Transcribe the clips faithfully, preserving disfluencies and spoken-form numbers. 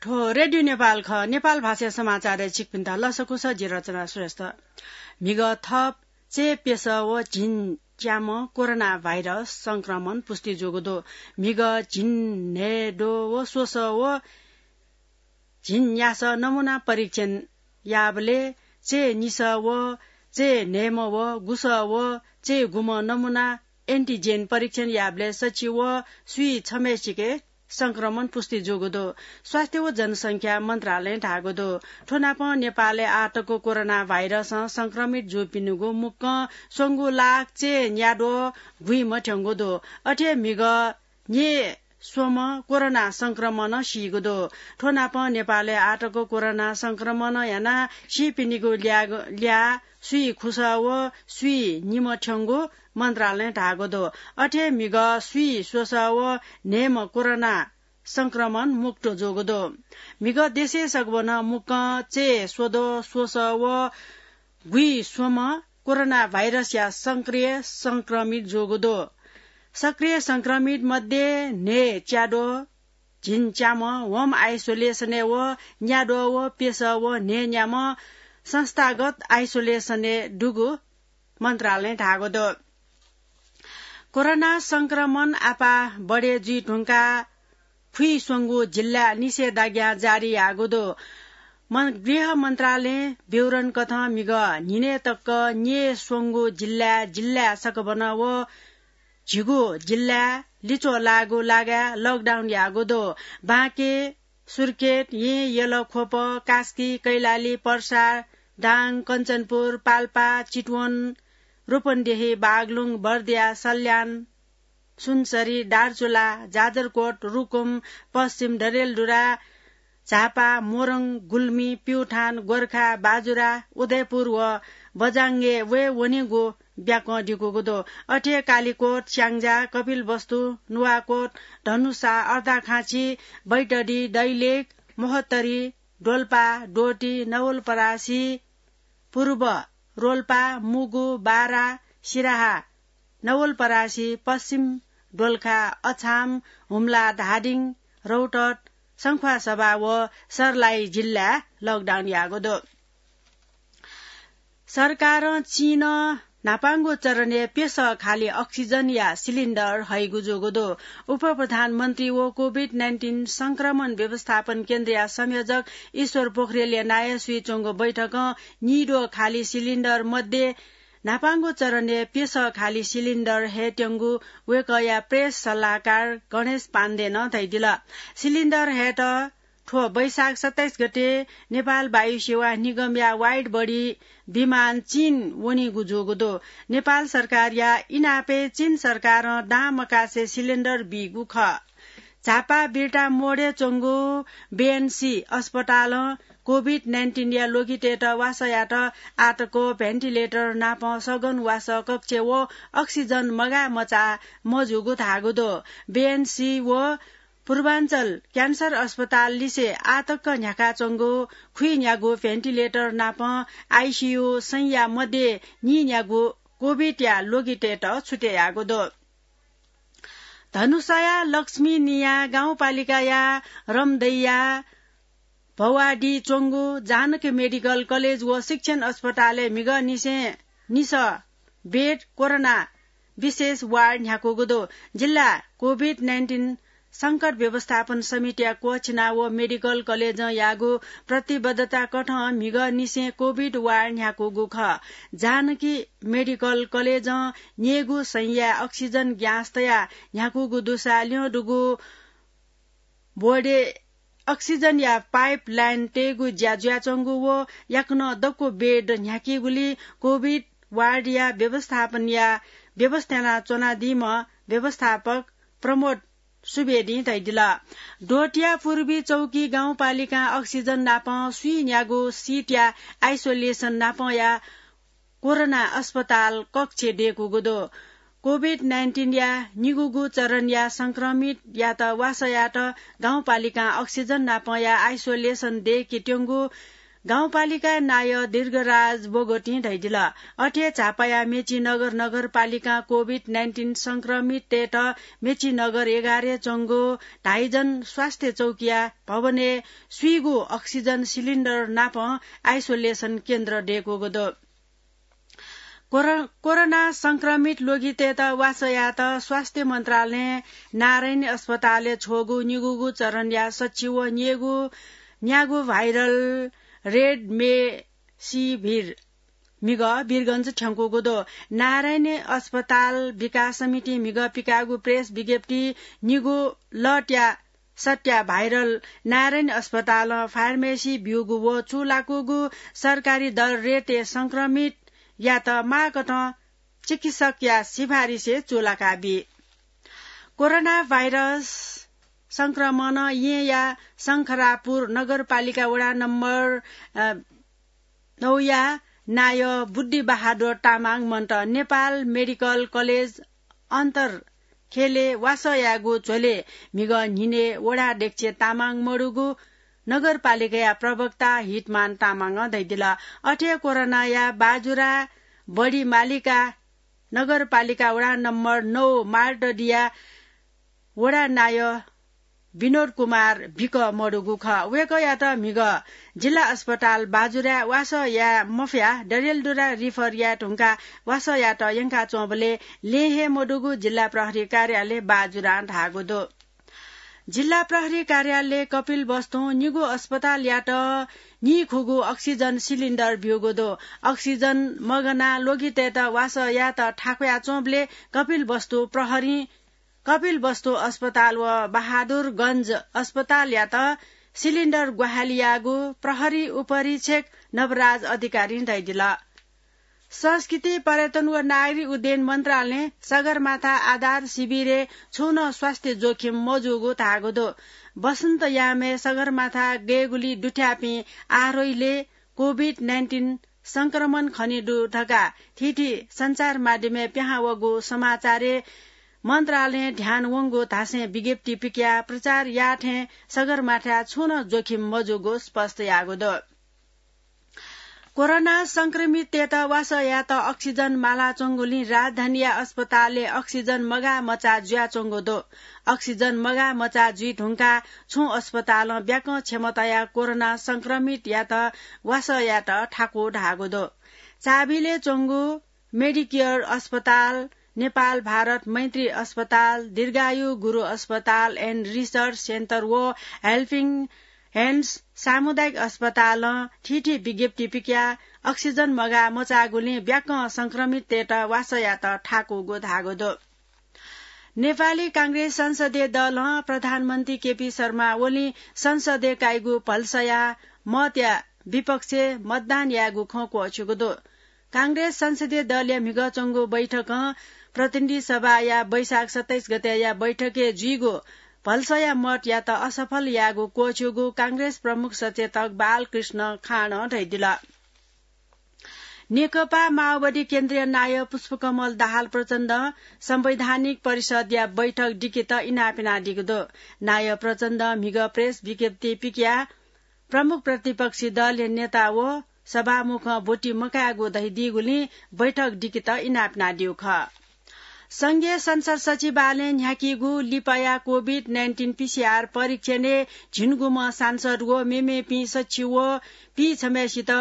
थ्व रेडियो नेपाल खः। नेपाल भाषाया समाचारय् छिकपिन्त लसकुस, जि रचना श्रेष्ठ। म्हिगः थप चय् प्यसः व झिंच्याम्ह कोरोना भाइरस संक्रमण पुष्टि जूगु दु। म्हिगः झिंन्हय्द्वः व स्वसः व झिंन्यासः नमूना परीक्षण याःबलय् चय् निसः व चय् न्हय्म्ह व गुसः व चय् गुम्ह नमूना एन्टिजेन परीक्षण याःबलय् सछि व स्वीछम्हय्सिके संक्रमण पुष्टि जूगु दु। स्वास्थ्य व जनसंख्या मन्त्रालयं धाःगु दु। थ्व नापं नेपालय् आःतक कोरोना भाइरसं संक्रमित जूपिनिगु मुक्कं स्वंगू लाख चय् न्याद्वः गुइम्ह थ्यंगु दु। अथे म्हिगः न्यय् स्वम्ह कोरोना संक्रमणं सीगु दु। थ्व नापं नेपालय् आःतक कोरोना संक्रमणं यानाः सीपिनिगु ल्याः, ल्याः स्वीखुसः व स्वीनिम्ह थ्यंगु मन्त्रालयं धाःगु दु। अथे म्हिगः स्वीस्वसः व न्हय्म्ह कोरोना संक्रमण मुक्त जूगु दु। म्हिगः देशय् सकभनं मुक्कं चय् स्वद्वः स्वसः व गुइस्वम्ह कोरोना भाइरसया सक्रिय संक्रमित जूगु दु। सक्रिय संक्रमित मध्ये न्हय्च्याद्वः, झिंच्याम्ह होम आइसोलेसनय् व न्याद्वः व प्यसः व न्हय्न्याम्ह संस्थागत आइसोलेसनय् दुगु मन्त्रालयं धाःगु दु। कोरोना संक्रमण आपाः बढे जुइ धुंकाः फुइस्वंगू जिल्लाय् निषेधाज्ञा जारी याःगु दु। मन-, गृह मन्त्रालयं विवरण कथं म्हिगः न्हिनय् तक न्यय् स्वंगू जिल्लाय्, जिल्लाय् सकभनं व झिगू जिल्लाय् लिच्वः लाःगु लागाय् लकडाउन याःगु दु। बाँके, सुर्खेत, येँ, यल, ख्वप, कास्की, कैलाली, पर्सा, दाङ, कञ्चनपुर, पाल्पा, चितवन, रूपन्देही, बागलुङ, बर्दिया, सल्यान, सुनसरी, दार्चुला, जाजरकोट, रुकुम, पश्चिम डडेलधुरा, झापा, मोरङ, गुल्मी, प्युठान, गोर्खा, बाजुरा, उदयपुर व बझाङय् वये वनेगु ब्याकं दिकूगु दु। अथे कालिकोट, स्याङ्जा, कपिलवस्तु, नुवाकोट, धनुषा, अर्घाखाँची, बैतडी, दैलेख, महोत्तरी, डोल्पा, डोटी, नवलपरासी, पूर्व रोल्पा, मुगु, बारा, सिराहा, नवलपरासी, पश्चिम दोलखा, अछाम, हुम्ला, धादिङ, रौतहट, सङ्ख्वासभा व सर्लाही जिल्लाय् लकडाउन याःगु दु। सरकारं चीनं न्हापांगु चरणय् प्यसः खालि अक्सिजनया सिलिन्डर हइगु जूगु दु। उपप्रधानमन्त्री व कोभिड नाइन्टिन संक्रमण व्यवस्थापन केन्द्रया संयोजक ईश्वर पोखरेलया नायः सुइच्वंगु बैठकं नीद्वः खालि सिलिन्डर मध्ये न्हापांगु चरणय् प्यसः खालि सिलिन्डर हयेत्यंगु वय्कःया प्रेस सल्लाहकार गणेश पाण्डेनं धयादिल। सिलिन्डर हयेत थ्व वैशाख सत्ताइस गते नेपाल वायु सेवा निगमया वाइड बडी विमान चीन वनीगु जूगु दु। नेपाल सरकारया इनापय् चीन सरकारं दां मकासे सिलिन्डर बीगु खः। झापा बिर्ता मोडय् च्वंगु बीएनसी अस्पतालं कोभिड नाइन्टिनया ल्वगितय्त वासः यायेत आःतक भेन्टिलेटर नाप सघन वासः कक्ष व अक्सिजन मगाः मचाः मजूगु धाःगु दु। बीएनसी व पूर्वाञ्चल क्यान्सर अस्पताल लिसे आःतक न्ह्याकाच्वंगु खुइन्यागू भेन्टिलेटर नाप आइसियु सैंया मध्ये नीन्यागू कोभिडया ल्वगितय्त छुटे याःगु दु। धनुषाया लक्ष्मी निया गाउँपालिकाया रमदैया भवाडी च्वंगु जानकी मेडिकल कलेज व शिक्षण अस्पतालय् म्हिगः निसें निसः बेड कोरोना विशेष वार्ड न्ह्याकूगु दु। जिल्ला कोभिड नाइन्टिन संकट व्यवस्थापन समितिया क्वःछिना व मेडिकल कलेजं याःगु प्रतिबद्धता कथं म्हिगः निसें कोभिड वार्ड न्ह्याकूगु खः। जानकी मेडिकल कलेजं न्यय्गू सैंया अक्सिजन ग्यास तयाः न्ह्याकूगु दुसा ल्यं दुगु बोर्डय् अक्सिजनया पाइप लाइन तयेगु ज्या जुयाच्वंगु व याकनं दक्व बेड न्ह्याकीगुली कोभिड वार्डया व्यवस्थापनया व्यवस्था यानाच्वनादीम्ह व्यवस्थापक प्रमोद सुवेदीं धयादिल। डोटीया पूर्वी चौकी गाउँपालिकां अक्सिजन नाप स्वीन्यागू सिटया आइसोलेसन नापया कोरोना अस्पताल कक्ष दय्कूगु दु। कोभिड नाइन्टिनया निगूगू चरणया संक्रमितयात वासः यायेत गाउँपालिकां अक्सिजन नापया आइसोलेसन दय्केत्यंगु गाउँपालिका नायः दीर्घराज बोगोटिं धयादिल। अथे झापाया मेचीनगर नगरपालिकां कोभिड नाइन्टिन संक्रमिततय्त मेचीनगर एघारय् च्वंगु धाइजन स्वास्थ्य चौकीया भवनय् स्वीगू अक्सिजन सिलिन्डर नापं आइसोलेसन केन्द्र दय्कूगु दु। कोरो-, कोरोना संक्रमित लोगितय्त वासः यायेत स्वास्थ्य मन्त्रालयं नारायणी अस्पतालय् छ्वःगु निगूगु चरणया सच्छि व न्येगु, न्यागू भाइरल रेमडेसिभिर म्हिगः वीरगञ्ज थ्यंकूगु दु। नारायणी अस्पताल विकास समितिं म्हिगः पिकाःगु प्रेस विज्ञप्ति निगू लटया सट्या भाइरल नारायणी अस्पतालं फार्मेसी ब्यूगु व चूलाकूगु सरकारी दर रेटय् संक्रमितयात माःकथं चिकित्सकया सिफारिसय् चूलाका बी। कोरोना भाइरस संक्रमणं येँया शंखरापुर नगरपालिका वडा नम्बर, अ, नौया नायः बुद्धिबहादुर तामाङ मन्त नेपाल मेडिकल कलेज अन्तरखेलय् वासः यायेगु झ्वलय् म्हिगः न्हिनय् वडा अध्यक्ष तामाङ मदुगु नगरपालिकाया प्रवक्ता हितमान तामाङं धयादिल। अथे कोरोनाया बाजुरा बढी मालिका नगरपालिका वडा नम्बर नौ मार्दडिया वडा नायः विनोद कुमार बिक मदुगु खः। वय्कःयात म्हिगः जिल्ला अस्पताल बाजुराय् वासः याये मफयाः डडेलधुरा रिफर याये धुंकाः वासः यायेत यंकाच्वंबलय् लँय् हे मदुगु जिल्ला प्रहरी कार्यालय बाजुरां धाःगु दु। जिल्ला प्रहरी कार्यालय कपिलवस्तुं निगू अस्पतालयात नीखुगू अक्सिजन सिलिन्डर ब्यूगु दु। अक्सिजन मगानाः लोगितय्त वासः यायेत थाकुयाच्वंबलय् कपिलवस्तु प्रहरीं कपिलवस्तु अस्पताल व बहादुरगञ्ज अस्पतालयात सिलिन्डर ग्वाहालि याःगु प्रहरी उपरीक्षक नवराज अधिकारीं धयादिल। संस्कृति, पर्यटन व नागरिक उड्डयन मन्त्रालयं सगरमाथा आधार शिविरय् छुं नं स्वास्थ्य जोखिम मजूगु धाःगु दु। वसन्तयामय् सगरमाथा गय्गुली दुथ्याःपिं आरोहीलय् कोभिड नाइन्टिन संक्रमण खने दु धकाः थीथी सञ्चार माध्यमय् पिहां वःगु समाचारय् मन्त्रालयं ध्यान वंगु धासें विज्ञप्ति पिकयाः प्रचार याःथें सगरमाथाय् छुं नं जोखिम मजूगु स्पष्ट याःगु दु। कोरोना संक्रमिततय्त वासः यायेत अक्सिजन मालाच्वंगुलिं राजधानीया अस्पतालय् अक्सिजन मगाः मचाः जुयाच्वंगु दु। अक्सिजन मगाः मचाः जुइ धुंकाः छुं अस्पतालं ब्याकं क्षमताया कोरोना संक्रमितयात वासः यायेत थाकु धाःगु दु। चाभिलय् च्वंगु मेडिकेयर अस्पताल, नेपाल भारत मैत्री अस्पताल, दीर्घायु गुरु अस्पताल and research center व हेल्पिङ ह्यान्ड्स सामुदायिक अस्पतालं थीथी विज्ञप्ति पिकयाः अक्सिजन मगाः मचाःगुलिं ब्याकं संक्रमिततय्त वासः यायेत थाकूगु धाःगु दु। नेपाली कांग्रेस संसदीय दलं प्रधानमन्त्री केपी शर्मा ओलीं संसदय् काइगु भलसाया मतया विपक्षय् मतदान यायेगु खँ क्वःछिउगु दु। कांग्रेस संसदीय दलया म्हिगः च्वंगु बैठकं प्रतिनिधि सभाया वैशाख सत्ताइस गतेया बैठकय् जुइगु भलसाया मतयात असफल याःगु क्वःछिउगु कांग्रेस प्रमुख सचेतक बालकृष्ण खाँडं धयादिल। नेकपा माओवादी केन्द्रीय नायः पुष्पकमल दाहाल प्रचण्डं संवैधानिक परिषदया बैठक दिकेत इनाप यानादीगु दु। नायः प्रचण्डं म्हिगः प्रेस विज्ञप्ति पिकयाः प्रमुख प्रतिपक्षी दलया नेता व सभामुखं ब्वति मकायेगु धयादीगुलिं बैठक दिकेत इनाप यानादीगु खः। संघीय संसद सचिवालयं न्ह्याकीगु लिपाया कोभिड नाइन्टिन पिसिआर परीक्षणय् झिंगुम्ह सांसद व मेमेपिं सच्छि व पीछम्हय्सित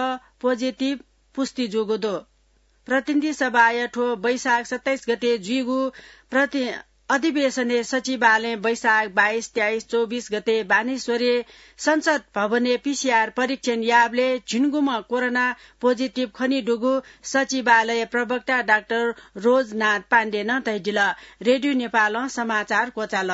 पोजिटिभ पुष्टि जूगु दु। प्रतिनिधि सभाया थ्व वैशाख सत्ताइस गते जुइगु प्रति-, अधिवेशनय् सचिवालयं वैशाख बाइस, तेइस, चौबिस गते बानेश्वरय् संसद भवनय् पिसिआर परीक्षण याःबलय् झिंगुम्ह कोरोना पोजिटिभ खनेदुगु सचिवालय प्रवक्ता डाक्टर रोजनाथ पाण्डेनं धयादिल। रेडियो नेपालं समाचार क्वचाल।